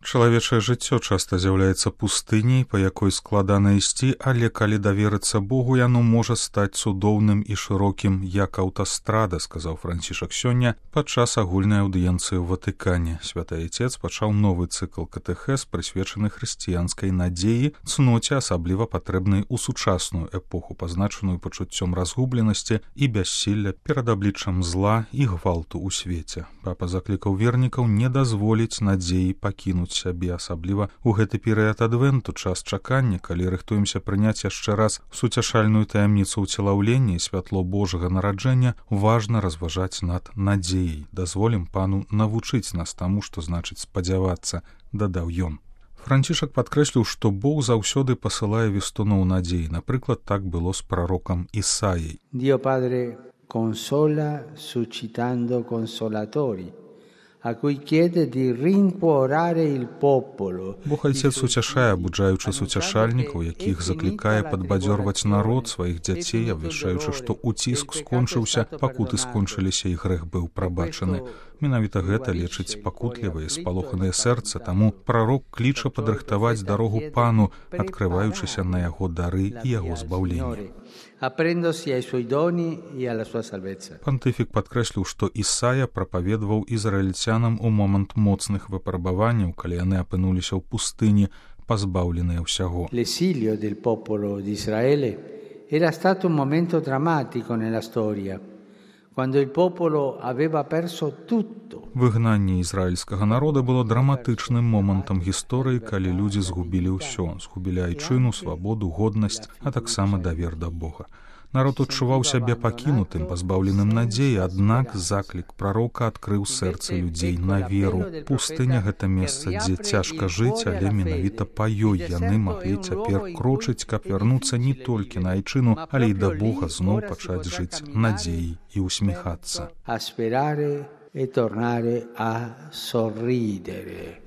Чалавечае жыццё часта з'яўляецца пустыняй, па якой складана ісці, але калі даверыцца Богу, яно можа стаць цудоўным і шырокім, як аўтастрада, сказаў Францішак сёння падчас агульнай аўдыенцыі ў Ватыкане. Святы Айцец пачаў новы цыкл катэхез, прысвечаны хрысціянскай надзеі, цноце, асабліва патрэбнай у сучасную эпоху, пазначаную пачуццём разгубленасці і бяссілля перад абліччам зла і гвалту ў свеце. Папа заклікаў вернікаў не дазволіць надзеі пакінуць сябе, асабліва ў гэты перыяд адвенту, час чакання, калі рыхтуемся прыняць яшчэ раз суцяшальную таямніцу ўцелаўлення і святло Божага нараджэння, важна разважаць над надзеяй. Дазволім Пану навучыць нас таму, што значыць спадзявацца, дадаў ён. Францішак падкрэсліў, што Бог заўсёды пасылае вестуноў надзеі. Напрыклад, так было з прарокам Ісаяй. Dio Padre consola suscitando consolatori, a cui chiede di rincuorare il popolo. Бог Айцец суцяшае, абуджаючы суцяшальнікаў, якіх заклікае падбадзёрваць народ, сваіх дзяцей, абвяшчаючы, што уціск скончыўся, пакуты скончыліся і грэх быў прабачаны. Менавіта гэта лечыць пакутлівае, спалоханае сэрца, таму прарок кліча падрыхтаваць дарогу Пану, адкрываючыся на яго дары і яго збаўленне. Пантыфік падкрэсліў, што Ісая прапаведваў ізраільцянам у момант моцных выпрабаванняў, калі яны апынуліся ў пустыні, пазбаўленыя ўсяго. L'esilio del popolo di Israele era stato un momento drammatico nella storia, quando il popolo aveva perso tutto. Выгнанне ізраільскага народа было драматычным момантам гісторыі, калі людзі згубілі ўсё, згубілі айчыну, свабоду, годнасць, а таксама давер да Бога. Народ адчуваў сябе пакінутым, пазбаўленым надзеі, аднак заклік прарока адкрыў сэрцы людзей на веру. Пустыня — гэта месца, дзе цяжка жыць, але менавіта па ёй яны маглі цяпер крочыць, каб вярнуцца не толькі на айчыну, але і да Бога зноў пачаць жыць надзеяй і усміхацца.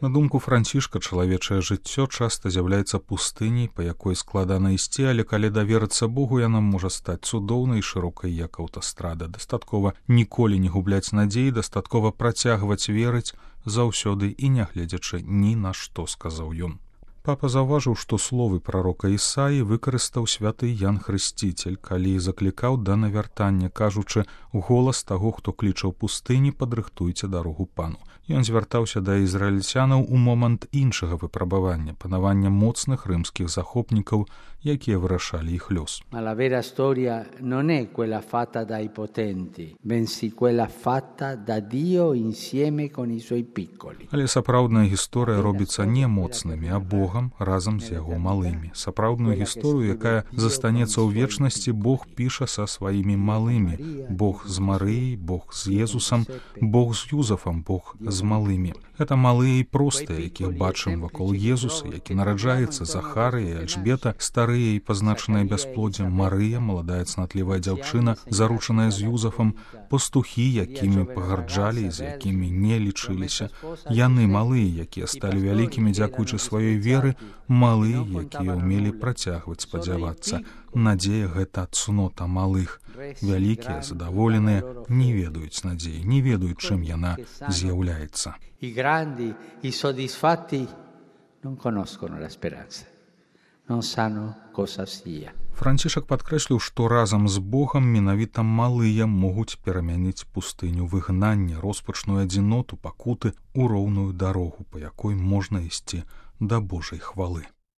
На думку Францішка, чалавечае жыццё часта з'яўляецца пустыняй, па якой складана ісці, але калі даверыцца Богу, яна можа стаць цудоўнай і шырокай, як аўтастрада. Дастаткова ніколі не губляць надзеі, дастаткова працягваць верыць заўсёды і нягледзячы ні на што, сказаў ён. Папа заўважыў, што словы прарока Ісаі выкарыстаў святы Ян Хрысціцель, калі заклікаў да навяртання, кажучы голас таго, хто кліча ў пустыні, падрыхтуйце дарогу Пану. Ён звяртаўся да ізраільцянаў у момант іншага выпрабавання, панавання моцных рымскіх захопнікаў, якія вырашалі іх лёс. Ma la vera storia non è quella fatta dai potenti, bensì quella fatta da Dio insieme con i suoi piccoli. Але сапраўдная гісторыя робіцца не моцнымі, а Богам разам з яго малымі. Сапраўдную гісторыю, якая застанецца ў вечнасці, Бог піша са сваімі малымі. Бог з Марыяй, Бог з Езусам, Бог з Юзафам, Бог з малымі. Гэта малыя і простыя, якіх бачым вакол Езуса, які нараджаецца, Захарыя і Альжбета, старыя і пазначаныя бясплоддзем, Марыя, маладая цнатлівая дзяўчына, заручаная з Юзафам, пастухі, якімі пагарджалі і з якімі не лічыліся. Яны малыя, якія сталі вялікімі дзякуючы сваёй веры, малыя, якія ўмелі працягваць спадзявацца. Надзея — гэта цнота малых. Вялікія, задаволеныя, не ведаюць надзеі, не ведаюць, чым яна з'яўляецца. I grandi, i soddisfatti non conoscono la speranza, non sanno cosa sia. Францішак падкрэсліў, што разам з Богам менавіта малыя могуць перамяніць пустыню выгнання, роспачную адзіноту, пакуты ў роўную дарогу, па якой можна ісці да Божай хвалы.